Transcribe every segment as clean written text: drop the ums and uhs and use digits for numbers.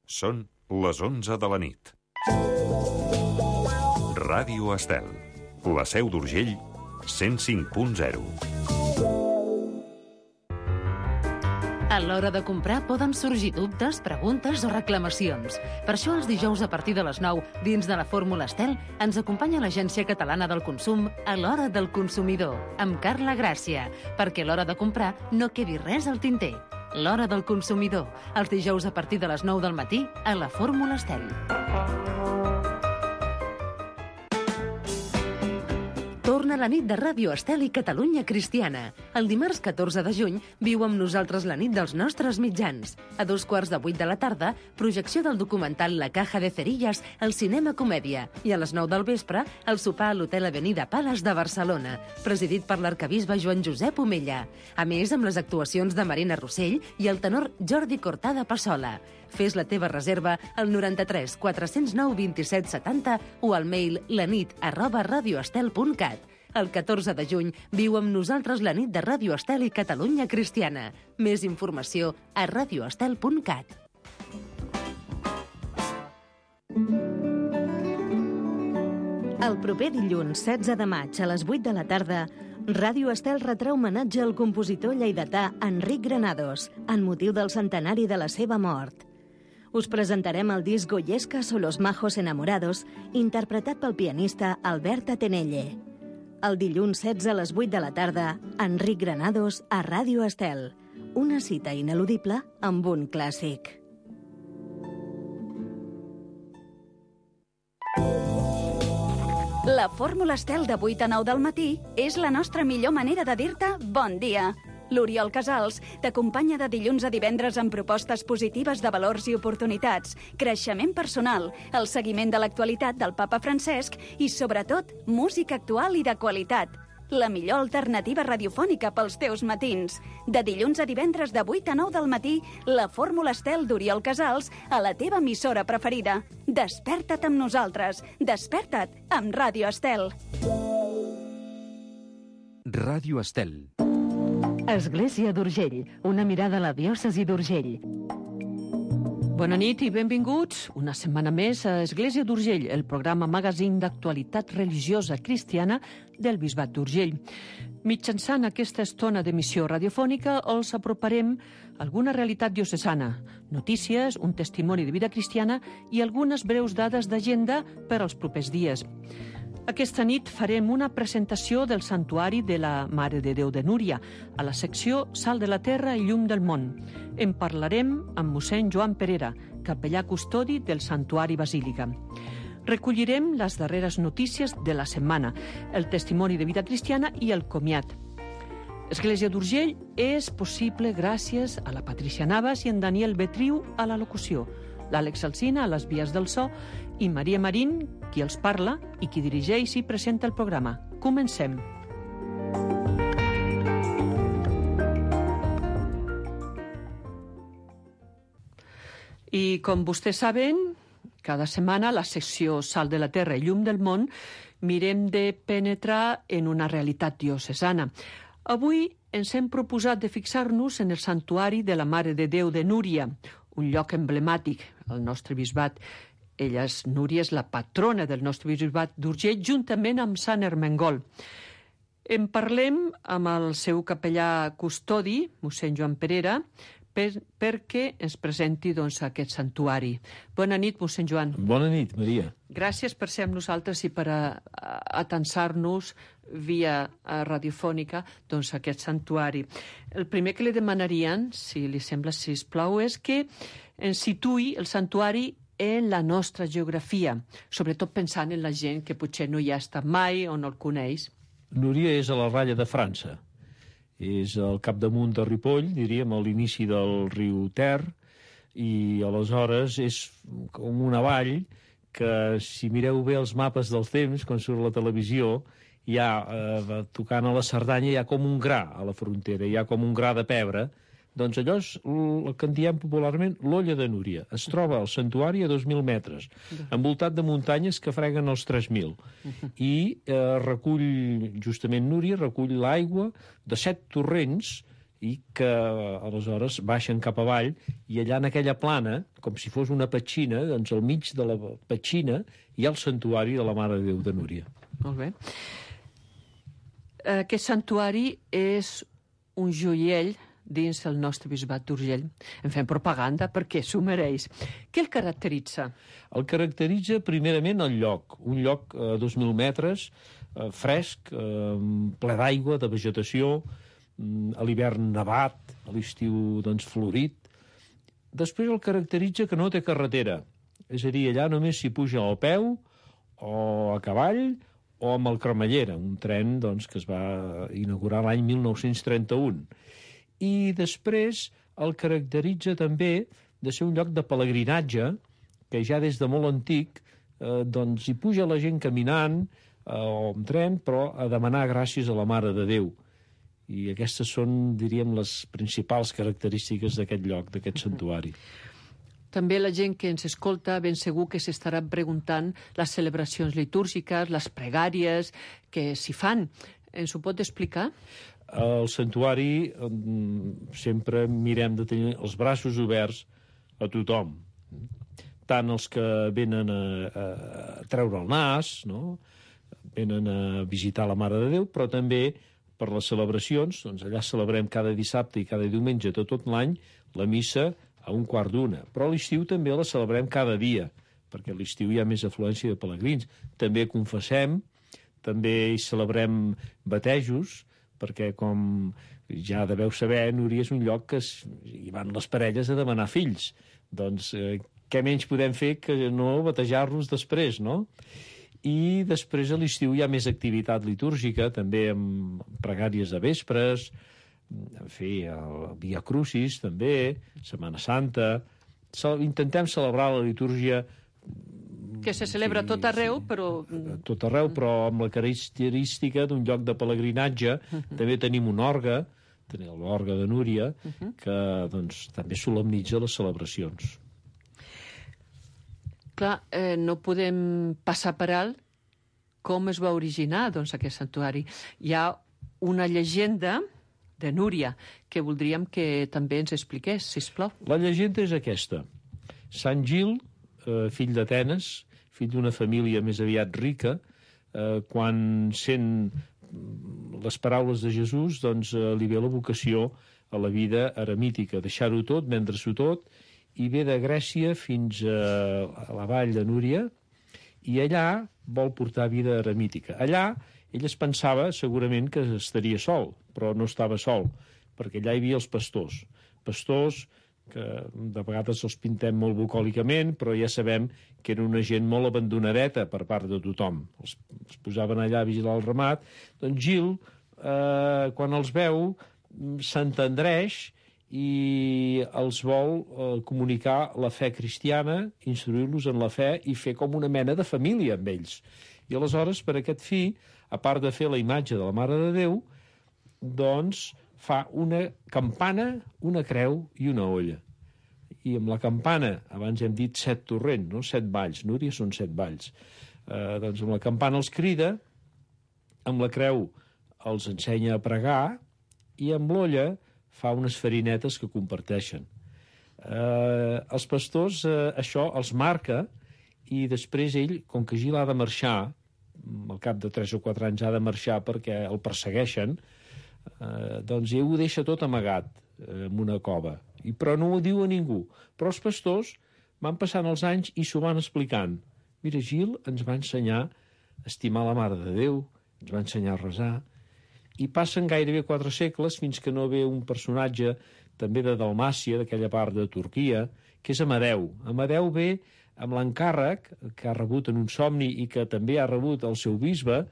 Són les 11 de la nit. Ràdio Estel, la Seu d'Urgell, 105.0. A l'hora de comprar poden sorgir dubtes, preguntes o reclamacions. Per això els dijous a partir de les 9, dins de la Fórmula Estel, ens acompanya l'Agència Catalana del Consum a l'Hora del Consumidor, amb Carla Gràcia, perquè a l'hora de comprar no quedi res al tinter. L'Hora del Consumidor, els dijous a partir de les 9 del matí a la Fórmula Estel. Torna la nit de Ràdio Estel i Catalunya Cristiana. El dimarts 14 de juny viu amb nosaltres la nit dels nostres mitjans. A 7:15 de la tarda, projecció del documental La Caja de Cerillas al Cinema Comèdia. I a les 9 del vespre, el sopar a l'Hotel Avenida Palace de Barcelona, presidit per l'arquebisbe Joan Josep Omella. A més, amb les actuacions de Marina Rossell i el tenor Jordi Cortada Passola. Fes la teva reserva al 93 409 27 70 o al mail lanit@radioestel.cat. El 14 de juny viu amb nosaltres la nit de Ràdio Estel i Catalunya Cristiana. Més informació a radioestel.cat. El proper dilluns 16 de maig a les 8 de la tarda, Ràdio Estel retrà homenatge al compositor lleidatà Enric Granados en motiu del centenari de la seva mort. Us presentarem el disc Goyescas o los majos enamorados, interpretat pel pianista Albert Atenelle. El dilluns 16 a les 8 de la tarda, Enric Granados a Ràdio Estel. Una cita ineludible amb un clàssic. La Fórmula Estel de 8 a 9 del matí és la nostra millor manera de dir-te bon dia. L'Oriol Casals t'acompanya de dilluns a divendres amb propostes positives de valors i oportunitats, creixement personal, el seguiment de l'actualitat del papa Francesc i, sobretot, música actual i de qualitat. La millor alternativa radiofònica pels teus matins. De dilluns a divendres de 8 a 9 del matí, la Fórmula Estel d'Oriol Casals a la teva emissora preferida. Desperta't amb nosaltres. Desperta't amb Ràdio Estel. Ràdio Estel. Església d'Urgell, una mirada a la diòcesi d'Urgell. Bona nit i benvinguts una setmana més a Església d'Urgell, el programa magazín d'actualitat religiosa cristiana del Bisbat d'Urgell. Mitjançant aquesta estona d'emissió radiofònica els aproparem alguna realitat diocesana, notícies, un testimoni de vida cristiana i algunes breus dades d'agenda per als propers dies. Aquesta nit farem una presentació del Santuari de la Mare de Déu de Núria, a la secció Sal de la Terra i Llum del Món. En parlarem amb mossèn Joan Perera, capellà custodi del Santuari Basílica. Recollirem les darreres notícies de la setmana, el testimoni de vida cristiana i el comiat. Església d'Urgell és possible gràcies a la Patricia Navas i en Daniel Betriu a la locució, l'Àlex Alsina a les vies del so i Maria Marín, qui els parla i qui dirigeix i presenta el programa. Comencem. I com vostès saben, cada setmana a la secció Sal de la Terra i Llum del Món mirem de penetrar en una realitat diocesana. Avui ens hem proposat de fixar-nos en el Santuari de la Mare de Déu de Núria, un lloc emblemàtic al nostre bisbat. Núria és la patrona del nostre bisbat d'Urgell, juntament amb Sant Ermengol. En parlem amb el seu capellà custodi, mossèn Joan Perera, perquè ens presenti aquest santuari. Bona nit, mossèn Joan. Bona nit, Maria. Gràcies per ser amb nosaltres i per atensar-nos via radiofònica aquest santuari. El primer que li demanarien, si li sembla, sisplau, és que ens situï el santuari en la nostra geografia, sobretot pensant en la gent que potser no hi ha estat mai o no el coneix. Núria és a la ratlla de França. És al capdamunt de Ripoll, diríem, a l'inici del riu Ter, i aleshores és com una vall que, si mireu bé els mapes dels temps, quan surt la televisió, hi ha, tocant a la Cerdanya, hi ha com un gra a la frontera, hi ha com un gra de pebre. Doncs allò és el que en diem popularment l'Olla de Núria. Es troba al santuari a 2.000 metres, envoltat de muntanyes que freguen els 3.000. I recull, justament Núria, recull l'aigua de 7 torrents i que aleshores baixen cap avall, i allà en aquella plana, com si fos una petxina, doncs al mig de la petxina hi ha el santuari de la Mare de Déu de Núria. Molt bé. Aquest santuari és un joiell dins el nostre bisbat d'Urgell. En fem propaganda perquè s'ho mereix. Què el caracteritza? El caracteritza primerament el lloc. Un lloc a 2.000 metres, fresc, ple d'aigua, de vegetació, a l'hivern nevat, a l'estiu doncs, florit. Després el caracteritza que no té carretera. És a dir, allà només s'hi puja a peu o a cavall o amb el cremallera, un tren doncs, que es va inaugurar l'any 1931. I després el caracteritza també de ser un lloc de pelegrinatge que ja des de molt antic doncs, hi puja la gent caminant o amb tren, però a demanar gràcies a la Mare de Déu. I aquestes són, diríem, les principals característiques d'aquest lloc, d'aquest santuari. També la gent que ens escolta ben segur que s'estarà preguntant les celebracions litúrgiques, les pregàries que s'hi fan. Ens ho pot explicar? Al santuari sempre mirem de tenir els braços oberts a tothom. Tant els que venen a treure el nas, no? Venen a visitar la Mare de Déu, però també per les celebracions, doncs allà celebrem cada dissabte i cada diumenge de tot l'any la missa a 1:15. Però a l'estiu també la celebrem cada dia, perquè a l'estiu hi ha més afluència de pelegrins. També confessem, també hi celebrem batejos, perquè com ja deveu saber, Núria és un lloc que hi van les parelles a demanar fills. Doncs què menys podem fer que no batejar-los després, no? I després a l'estiu hi ha més activitat litúrgica, també amb pregàries de vespres, en fi, el Via Crucis també, Setmana Santa. Intentem celebrar la litúrgia que se celebra tot arreu, però... Tot arreu, però amb la característica d'un lloc de pelegrinatge. També tenim un orgue, tenim l'orgue de Núria, que doncs, també solemnitza les celebracions. Clar, no podem passar per alt com es va originar doncs, aquest santuari. Hi ha una llegenda de Núria que voldríem que també ens expliqués, sisplau. La llegenda és aquesta. Sant Gil, fill d'Atenes, fill d'una família més aviat rica, quan sent les paraules de Jesús, doncs li ve la vocació a la vida eremítica, deixar-ho tot, vendre-s'ho tot, i ve de Grècia fins a la vall de Núria, i allà vol portar vida eremítica. Allà ell es pensava segurament que estaria sol, però no estava sol, perquè allà hi havia els pastors. Pastors que de vegades els pintem molt bucòlicament, però ja sabem que era una gent molt abandonadeta per part de tothom. Els posaven allà a vigilar el ramat. Doncs Gil, quan els veu, s'entendreix i els vol comunicar la fe cristiana, instruir-los en la fe i fer com una mena de família amb ells. I aleshores, per aquest fi, a part de fer la imatge de la Mare de Déu, doncs fa una campana, una creu i una olla. I amb la campana, abans hem dit 7 torrents, no? 7 valls, Núria són 7 valls. Doncs amb la campana els crida, amb la creu els ensenya a pregar i amb l'olla fa unes farinetes que comparteixen. Els pastors això els marca i després ell, com que Gil ha de marxar, al cap de 3 o 4 anys ha de marxar perquè el persegueixen, doncs ell ho deixa tot amagat en una cova, però no ho diu a ningú. Però els pastors van passant els anys i s'ho van explicant. Mira, Gil ens va ensenyar a estimar la Mare de Déu, ens va ensenyar a resar, i passen gairebé 4 segles fins que no ve un personatge també de Dalmàcia, d'aquella part de Turquia, que és Amadeu. Amadeu ve amb l'encàrrec que ha rebut en un somni i que també ha rebut el seu bisbe,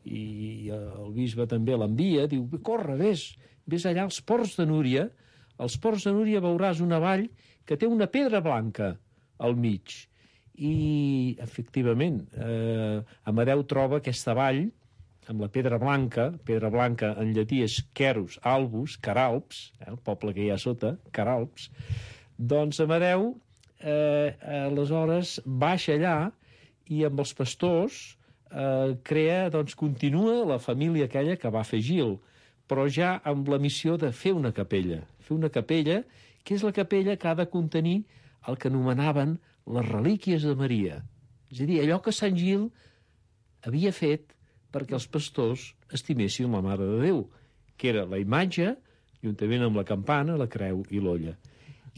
i el bisbe també l'envia, diu, corre, vés allà als ports de Núria, als ports de Núria veuràs una vall que té una pedra blanca al mig. I, efectivament, Amadeu troba aquesta vall amb la pedra blanca en llatí és Querus Albus, Caralps, el poble que hi ha sota, Caralps, doncs Amadeu aleshores baixa allà i amb els pastors crea, doncs continua la família aquella que va fer Gil, però ja amb la missió de fer una capella. Fer una capella, que és la capella que ha de contenir el que anomenaven les relíquies de Maria. És a dir, allò que Sant Gil havia fet perquè els pastors estimessin la Mare de Déu, que era la imatge, juntament amb la campana, la creu i l'olla.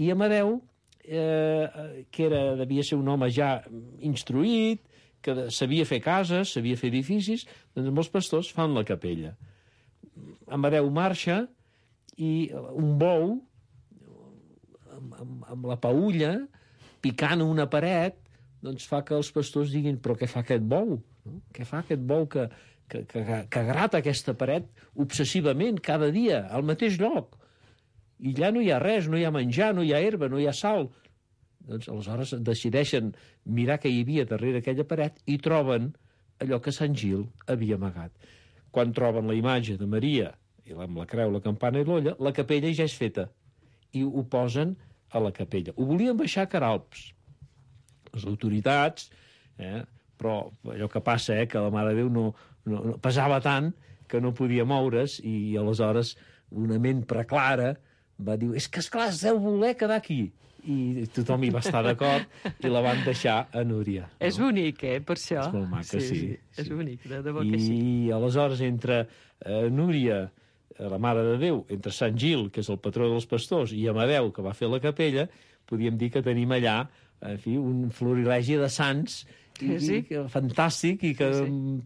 I Amadeu, que devia ser un home ja instruït, que sabia fer cases, sabia fer edificis, doncs amb els pastors fan la capella. Amadeu marxa i un bou, amb la paulla, picant una paret, doncs fa que els pastors diguin, però què fa aquest bou? No? Què fa aquest bou que grata aquesta paret obsessivament, cada dia, al mateix lloc? I allà no hi ha res, no hi ha menjar, no hi ha herba, no hi ha sal. Doncs aleshores decideixen mirar què hi havia darrere aquella paret i troben allò que Sant Gil havia amagat. Quan troben la imatge de Maria, i amb la creu, la campana i l'olla, la capella ja és feta. I ho posen a la capella. Ho volien baixar a Queralbs. Les autoritats, però allò que passa, que la Mare de Déu no pesava tant que no podia moure's, i aleshores una ment preclara va dir, és que esclar, es deu voler quedar aquí. I tothom hi va estar d'acord i la van deixar a Núria. No? És bonic, per això. És molt maca, sí. És bonic, de debò que sí. I aleshores entre Núria, la Mare de Déu, entre Sant Gil, que és el patró dels pastors, i Amadeu, que va fer la capella, podíem dir que tenim allà, en fi, un florilegi de sants fantàstic, i que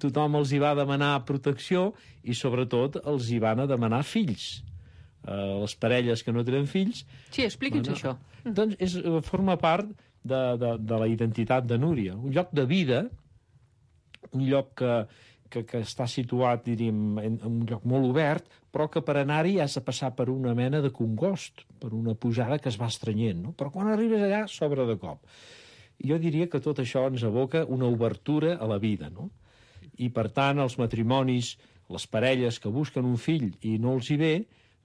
tothom els hi va demanar protecció i sobretot els hi van a demanar fills. Les parelles que no tenen fills... Sí, expliqui'ns això. Doncs forma part de la identitat de Núria. Un lloc de vida, un lloc que està situat, diríem, en un lloc molt obert, però que per anar-hi has de passar per una mena de congost, per una pujada que es va estrenyent, no? Però quan arribes allà, s'obre de cop. Jo diria que tot això ens evoca una obertura a la vida, no? I, per tant, els matrimonis, les parelles que busquen un fill i no els hi ve,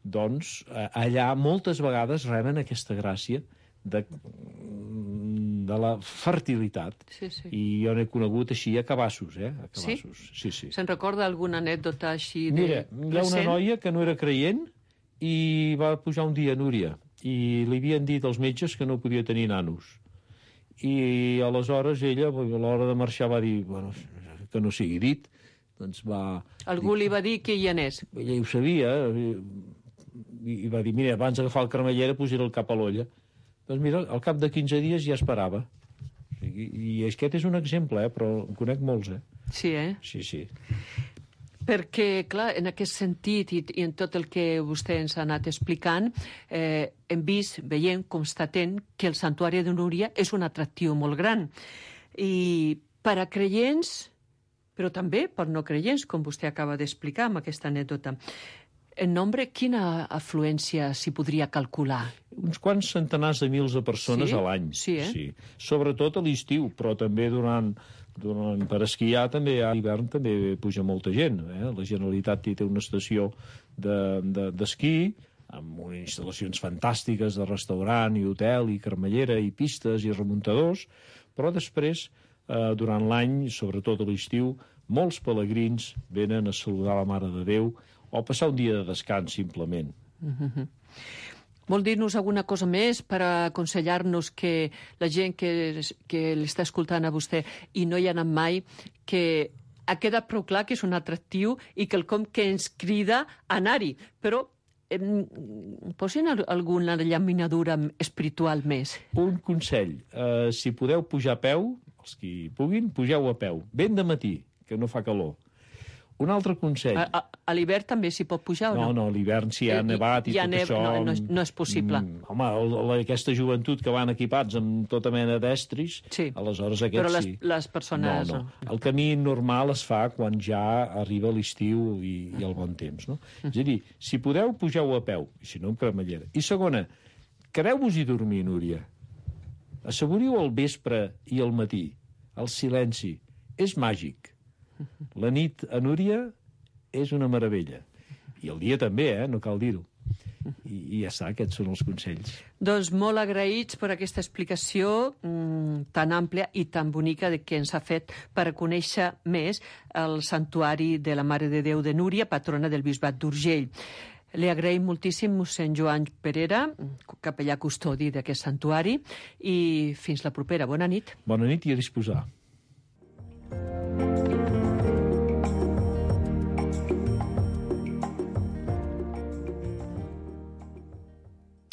doncs allà moltes vegades reben aquesta gràcia de la fertilitat. Sí. I jo n'he conegut així a cabassos, a cabassos. Sí? Se'n recorda alguna anècdota així de Mira, hi ha una noia que no era creient i va pujar un dia a Núria i li havien dit als metges que no podia tenir nanos. I aleshores ella, a l'hora de marxar, va dir, bueno, que no sigui dit, doncs va... Algú li va dir que hi anés. Ella ho sabia, i va dir, mira, abans d'agafar el cremallera posaré el cap a l'olla. Doncs mira, al cap de 15 dies ja esperava. I aquest és un exemple, però en conec molts, Sí, Sí. Perquè, clar, en aquest sentit i en tot el que vostè ens ha anat explicant, hem vist, veient, constatent que el santuari de Núria és un atractiu molt gran. I per a creients, però també per no creients, com vostè acaba d'explicar amb aquesta anècdota. En nombre, quina afluència s'hi podria calcular? Uns quants centenars de mils de persones a l'any. Sí. Sobretot a l'estiu, però també per esquiar també, a l'hivern també puja molta gent. La Generalitat té una estació d'esquí, amb unes instal·lacions fantàstiques de restaurant i hotel i cremallera i pistes i remuntadors, però després, durant l'any, sobretot a l'estiu, molts pelegrins venen a saludar la Mare de Déu o passar un dia de descans, simplement. Vol dir-nos alguna cosa més per aconsellar-nos que la gent que l'està escoltant a vostè i no hi ha anat mai, que ha quedat prou clar que és un atractiu i quelcom que ens crida a anar-hi, però posin alguna llaminadura espiritual més. Un consell, si podeu pujar a peu, els que puguin, pugeu a peu, ben de matí, que no fa calor. Un altre consell... A l'hivern també s'hi pot pujar o no? No, a l'hivern si hi ha nevat i tot això... No és possible. Home, aquesta joventut que van equipats amb tota mena d'estris, aleshores aquests però sí. Però les persones... No. El camí normal es fa quan ja arriba l'estiu i el bon temps, no? És a dir, si podeu, pugeu a peu, i si no, amb cremallera. I segona, quedeu-vos-hi dormir, Núria. Asseguriu el vespre i el matí. El silenci. És màgic. La nit a Núria és una meravella. I el dia també, no cal dir-ho. I ja està, aquests són els consells. Doncs molt agraïts per aquesta explicació tan àmplia i tan bonica que ens ha fet per conèixer més el santuari de la Mare de Déu de Núria, patrona del Bisbat d'Urgell. Li agraïm moltíssim mossèn Joan Perera, capellà custodi d'aquest santuari, i fins la propera. Bona nit. Bona nit i a disposar.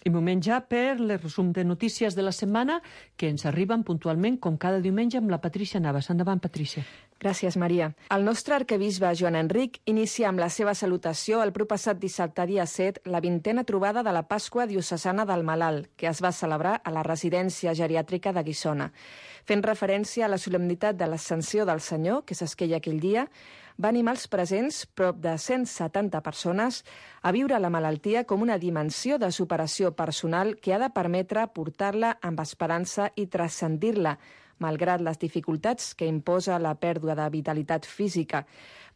I moment ja per el resum de notícies de la setmana que ens arriben puntualment com cada diumenge amb la Patrícia Navas. Endavant, Patrícia. Gràcies, Maria. El nostre arquebisbe Joan Enric inicia amb la seva salutació el proppassat dissabte dia 7 la 20a trobada de la Pasqua diocesana del Malalt, que es va celebrar a la residència geriàtrica de Guissona. Fent referència a la solemnitat de l'Ascensió del Senyor, que s'esqueia aquell dia, va animar els presents, prop de 170 persones, a viure la malaltia com una dimensió de superació personal que ha de permetre portar-la amb esperança i transcendir-la, malgrat les dificultats que imposa la pèrdua de vitalitat física.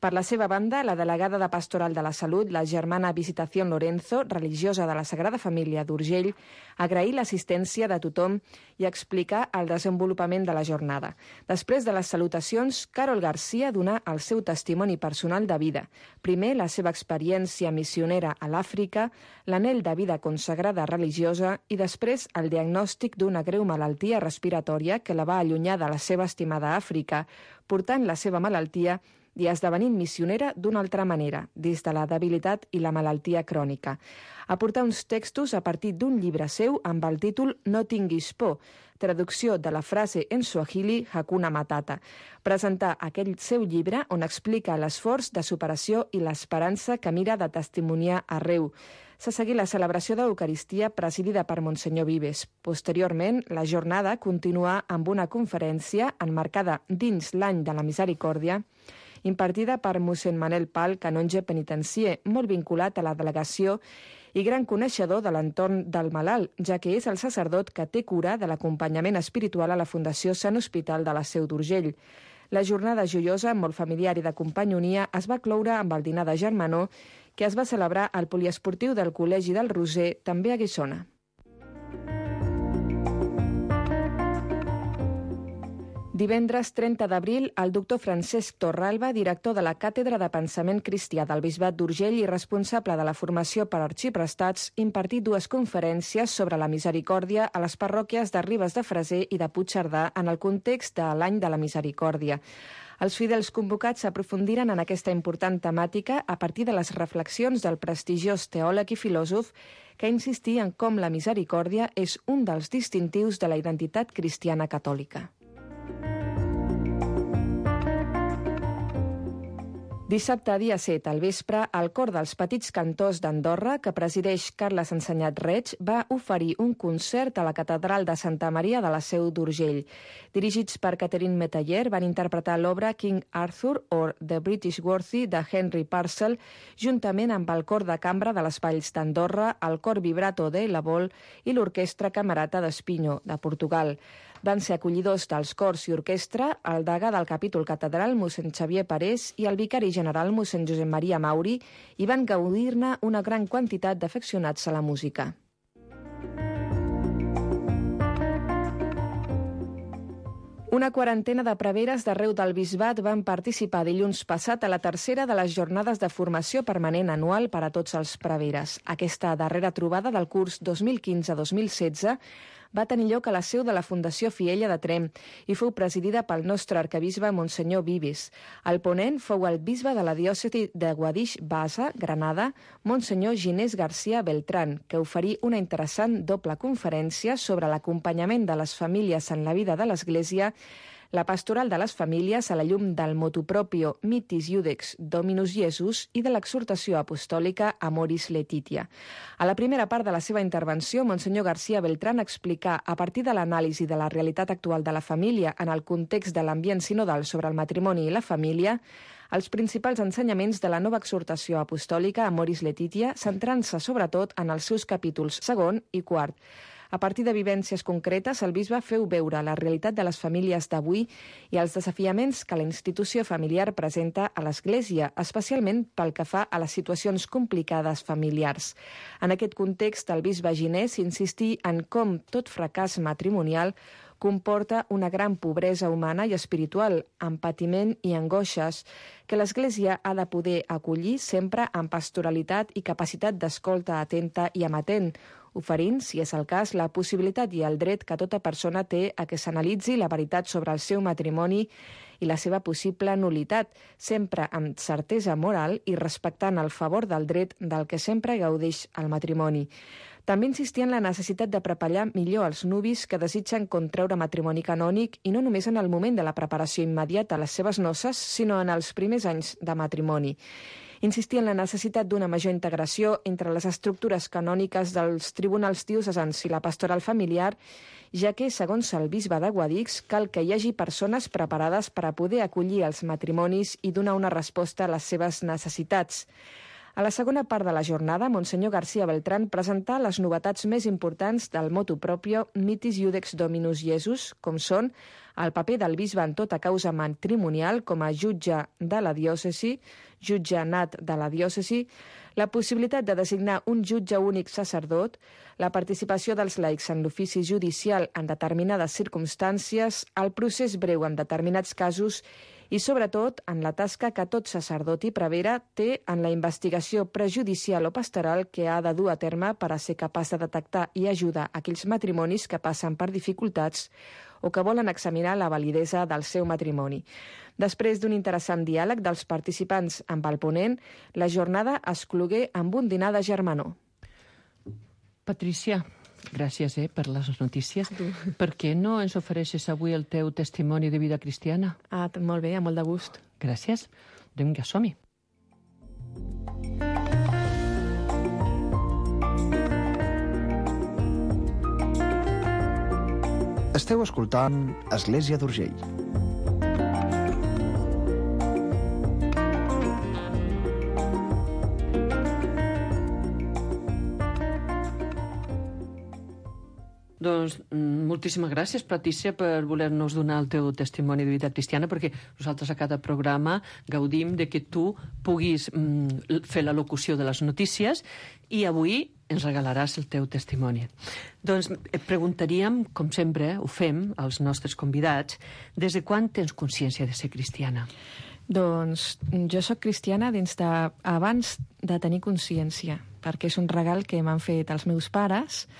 Per la seva banda, la delegada de Pastoral de la Salut, la germana Visitación Lorenzo, religiosa de la Sagrada Família d'Urgell, agrair l'assistència de tothom i explicar el desenvolupament de la jornada. Després de les salutacions, Carol Garcia donà el seu testimoni personal de vida. Primer, la seva experiència missionera a l'Àfrica, l'anhel de vida consagrada religiosa i després el diagnòstic d'una greu malaltia respiratòria que la va allunyar de la seva estimada Àfrica, portant la seva malaltia i esdevenint missionera d'una altra manera, des de la debilitat i la malaltia crònica. Aportar uns textos a partir d'un llibre seu amb el títol No tinguis por, traducció de la frase en suahili Hakuna Matata. Presentar aquell seu llibre on explica l'esforç de superació i l'esperança que mira de testimoniar arreu. S'ha seguit la celebració d'Eucaristia presidida per Monsenyor Vives. Posteriorment, la jornada continua amb una conferència enmarcada dins l'any de la Misericòrdia, impartida per mossèn Manel Pal, canonge penitencier, molt vinculat a la delegació i gran coneixedor de l'entorn del malalt, ja que és el sacerdot que té cura de l'acompanyament espiritual a la Fundació Sant Hospital de la Seu d'Urgell. La jornada joiosa, molt familiar i de companyonia, es va cloure amb el dinar de germanor que es va celebrar al poliesportiu del Col·legi del Roser, també a Guissona. Divendres 30 d'abril, el doctor Francesc Torralba, director de la Càtedra de Pensament Cristià del Bisbat d'Urgell i responsable de la formació per arxiprestats, impartit dues conferències sobre la misericòrdia a les parròquies de Ribes de Freser i de Puigcerdà en el context de l'any de la misericòrdia. Els fidels convocats aprofundiren en aquesta important temàtica a partir de les reflexions del prestigiós teòleg i filòsof que insistia en com la misericòrdia és un dels distintius de la identitat cristiana catòlica. Dissabte, dia 7, al vespre, el cor dels Petits Cantors d'Andorra, que presideix Carles Ensenyat Reig, va oferir un concert a la Catedral de Santa Maria de la Seu d'Urgell. Dirigits per Catherine Metayer, van interpretar l'obra King Arthur or The British Worthy de Henry Purcell, juntament amb el cor de cambra de les Valls d'Andorra, el cor vibrato de La Vol i l'orquestra camerata d'Espinho, de Portugal. Van ser acollidors dels cors i orquestra el degà del capítol catedral, mossèn Xavier Parés, i el vicari general, mossèn Josep Maria Mauri, i van gaudir-ne una gran quantitat d'afeccionats a la música. Una quarantena de preveres d'arreu del Bisbat van participar dilluns passat a la tercera de les jornades de formació permanent anual per a tots els preveres. Aquesta darrera trobada del curs 2015-2016 va tenir lloc a la seu de la Fundació Fiella de Tremp i fou presidida pel nostre arquebisbe Monsenyor Vives. El ponent fou el bisbe de la diòcesi de Guadix-Bassa, Granada, Monsenyor Ginés García Beltrán, que oferí una interessant doble conferència sobre l'acompanyament de les famílies en la vida de l'Església, la pastoral de les famílies a la llum del motu proprio Mitis Iudex Dominus Jesus i de l'exhortació apostòlica Amoris Laetitia. A la primera part de la seva intervenció, Monsenyor García Beltrán explica, a partir de l'anàlisi de la realitat actual de la família en el context de l'ambient sinodal sobre el matrimoni i la família, els principals ensenyaments de la nova exhortació apostòlica Amoris Laetitia, centrant-se sobretot en els seus capítols 2 i 4. A partir de vivències concretes, el bisbe feu veure la realitat de les famílies d'avui i els desafiaments que la institució familiar presenta a l'Església, especialment pel que fa a les situacions complicades familiars. En aquest context, el bisbe Ginés insistí en com tot fracàs matrimonial comporta una gran pobresa humana i espiritual, amb patiment i angoixes, que l'Església ha de poder acollir sempre amb pastoralitat i capacitat d'escolta atenta i amatent, oferint, si és el cas, la possibilitat i el dret que tota persona té a que s'analitzi la veritat sobre el seu matrimoni i la seva possible nulitat, sempre amb certesa moral i respectant el favor del dret del que sempre gaudeix el matrimoni. També insistia en la necessitat de preparar millor els nuvis que desitgen contreure matrimoni canònic i no només en el moment de la preparació immediata a les seves noces, sinó en els primers anys de matrimoni. Insistia en la necessitat d'una major integració entre les estructures canòniques dels tribunals diocesans i la pastoral familiar, ja que, segons el bisbe de Guadix, cal que hi hagi persones preparades per a poder acollir els matrimonis i donar una resposta a les seves necessitats. A la segona part de la jornada, Monsenyor García Beltrán presentà les novetats més importants del motu proprio Mitis Iudex Dominus Iesus, com són el paper del bisbe en tota causa matrimonial com a jutge de la diòcesi, jutge nat de la diòcesi, la possibilitat de designar un jutge únic sacerdot, la participació dels laics en l'ofici judicial en determinades circumstàncies, el procés breu en determinats casos i, sobretot, en la tasca que tot sacerdot i prevere té en la investigació prejudicial o pastoral que ha de dur a terme per a ser capaç de detectar i ajudar aquells matrimonis que passen per dificultats o que volen examinar la validesa del seu matrimoni. Després d'un interessant diàleg dels participants amb el ponent, la jornada es clogué amb un dinar de germanor. Patrícia, gràcies per les notícies. Per què no ens ofereixes avui el teu testimoni de vida cristiana? Molt bé, amb molt de gust. Gràcies. Vinga, som-hi. Esteu escoltant Església d'Urgell. Doncs moltíssimes gràcies, Patrícia, per voler-nos donar el teu testimoni de vida cristiana, perquè nosaltres a cada programa gaudim de que tu puguis fer la locució de les notícies i avui ens regalaràs el teu testimoni. Doncs et preguntaríem, com sempre ho fem als nostres convidats, des de quan tens consciència de ser cristiana? Doncs jo sóc cristiana abans de tenir consciència, perquè és un regal que m'han fet els meus pares.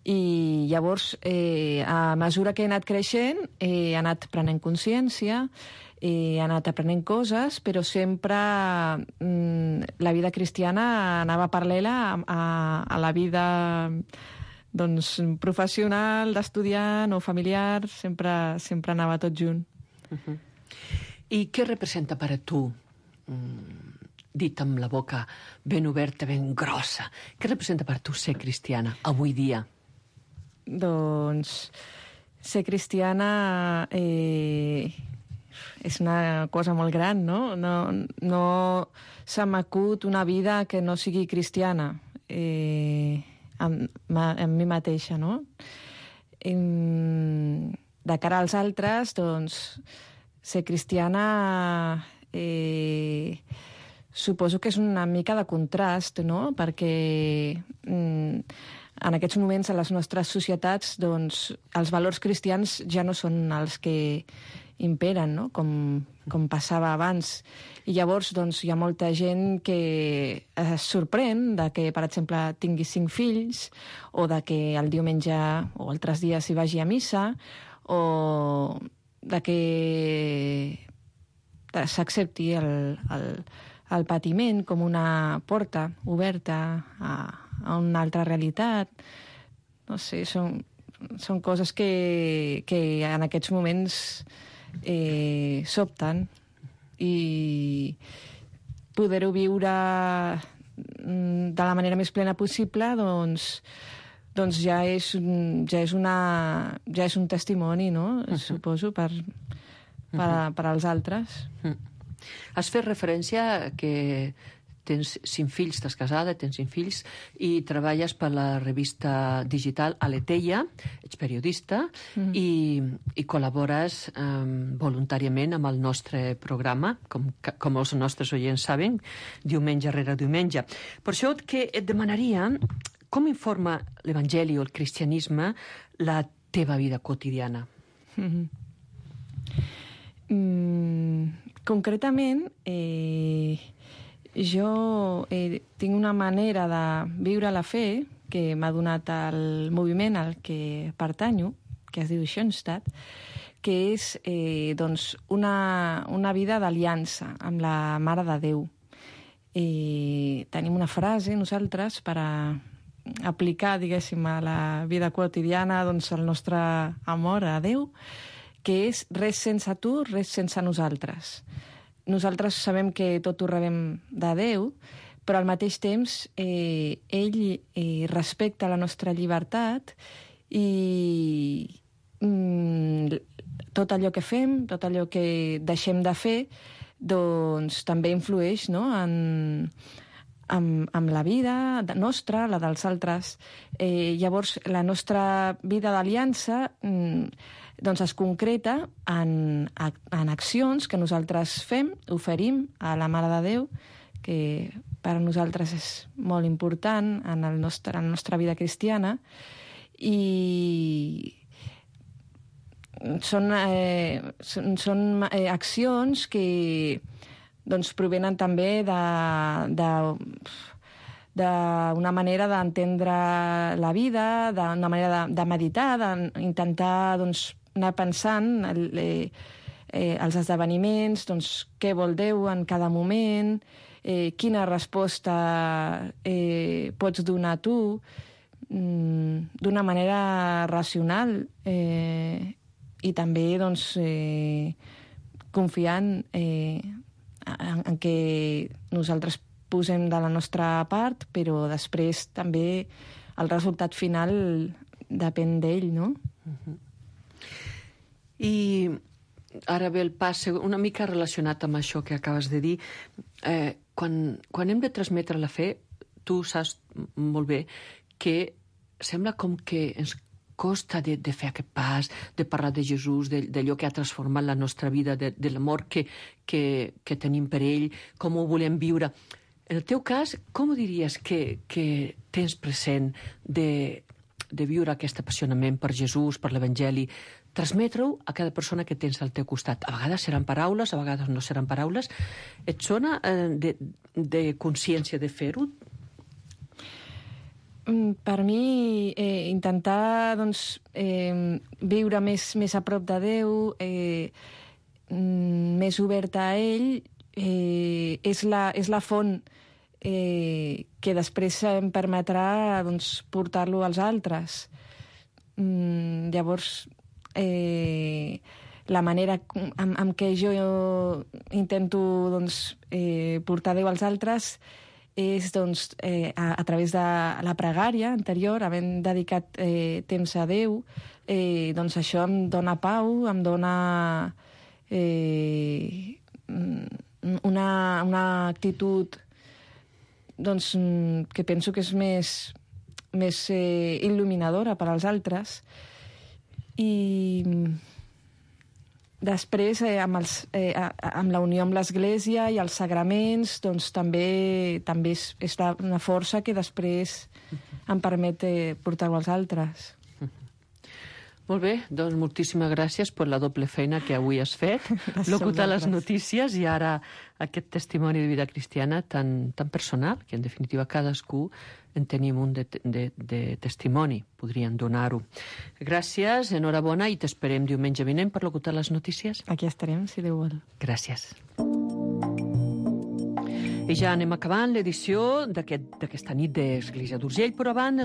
I llavors, a mesura que he anat creixent, he anat prenent consciència, he anat aprenent coses, però sempre la vida cristiana anava paral·lela a la vida professional, d'estudiant o familiar, sempre anava tot junt. I què representa per a tu, dit amb la boca ben oberta, ben grossa, què representa per a tu ser cristiana avui dia? Doncs ser cristiana és una cosa molt gran, no? No se m'acut una vida que no sigui cristiana en mi mateixa, no? De cara als altres, doncs, ser cristiana suposo que és una mica de contrast, no? Perquè en aquests moments a les nostres societats doncs, els valors cristians ja no són els que imperen, no? Com passava abans. I llavors doncs, hi ha molta gent que es sorprèn de que, per exemple, tingui 5 fills o de que el diumenge o altres dies hi vagi a missa o de que s'accepti el patiment com una porta oberta a una altra realitat. No sé, són coses que en aquests moments sobten i poder-ho viure de la manera més plena possible doncs ja és un testimoni, no? Suposo, per als altres. Has fet referència que tens 5 fills, estàs casada, tens 5 fills, i treballes per la revista digital Aleteia, ets periodista, i col·labores voluntàriament amb el nostre programa, com els nostres oients saben, diumenge rere diumenge. Per això que et demanaria com informa l'Evangeli o el cristianisme la teva vida quotidiana? Concretament, jo tinc una manera de viure la fe que m'ha donat el moviment al que pertanyo, que es diu Schoenstatt, que és una vida d'aliança amb la Mare de Déu. Tenim una frase nosaltres per aplicar, diguéssim, a la vida quotidiana el nostre amor a Déu, que és res sense tu, res sense nosaltres. Nosaltres sabem que tot ho rebem de Déu, però al mateix temps ell respecta la nostra llibertat i tot allò que fem, tot allò que deixem de fer, doncs també influeix, no?, amb la vida nostra, la dels altres. Llavors, la nostra vida d'aliança doncs es concreta en accions que nosaltres fem, oferim a la Mare de Déu, que per a nosaltres és molt important en la nostra vida cristiana, i són accions que doncs provenen també d'una manera d'entendre la vida, d'una manera de meditar, d'intentar anar pensant els esdeveniments, què vol Déu en cada moment, quina resposta pots donar tu, d'una manera racional, i també confiant en què nosaltres posem de la nostra part, però després també el resultat final depèn d'ell, no? I ara ve el pas una mica relacionat amb això que acabes de dir. Quan hem de transmetre la fe, tu saps molt bé que sembla com que ens costa de fer aquest pas, de parlar de Jesús, d'allò que ha transformat la nostra vida, de l'amor que tenim per ell, com ho volem viure. En el teu cas, com diries que tens present de viure aquest apassionament per Jesús, per l'Evangeli, transmetre-ho a cada persona que tens al teu costat? A vegades seran paraules, a vegades no seran paraules. Et sona de consciència de fer-ho? Per mi, intentar viure més a prop de Déu, més oberta a ell, és la font que després em permetrà portar-lo als altres. Llavors, la manera en què jo intento portar Déu als altres és a través de la pregària anterior, havent dedicat temps a Déu, això em dona pau, em dona una actitud que penso que és més il·luminadora per als altres. I després, amb la unió amb l'Església i els sagraments, també és una força que després em permet portar-ho als altres. Molt bé, doncs moltíssimes gràcies per la doble feina que avui has fet, locutar les notícies i ara aquest testimoni de vida cristiana tan personal, que en definitiva cadascú en tenim un de testimoni, podrien donar-ho. Gràcies, enhorabona, i t'esperem diumenge vinent per locutar les notícies. Aquí estarem, si Déu vol. Gràcies. I ja anem acabant l'edició d'aquesta nit d'Església d'Urgell, però abans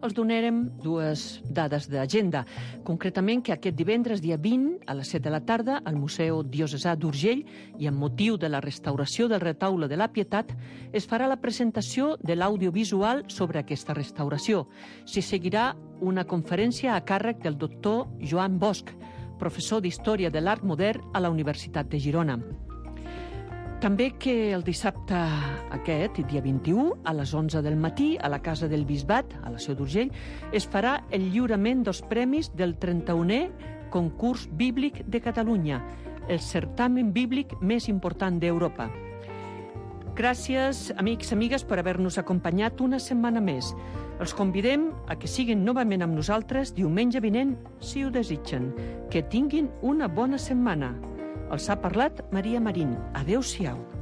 els donarem dues dades d'agenda. Concretament que aquest divendres, dia 20, a les 7 de la tarda, al Museu Diocesà d'Urgell, i amb motiu de la restauració del retaule de la Pietat, es farà la presentació de l'audiovisual sobre aquesta restauració. S'hi seguirà una conferència a càrrec del doctor Joan Bosch, professor d'Història de l'Art Modern a la Universitat de Girona. També que el dissabte aquest, dia 21, a les 11 del matí, a la Casa del Bisbat, a la Seu d'Urgell, es farà el lliurament dels premis del 31è Concurs Bíblic de Catalunya, el certamen bíblic més important d'Europa. Gràcies, amics i amigues, per haver-nos acompanyat una setmana més. Els convidem a que siguin novament amb nosaltres diumenge vinent, si ho desitgen. Que tinguin una bona setmana. Els ha parlat Maria Marín. Adéu-siau.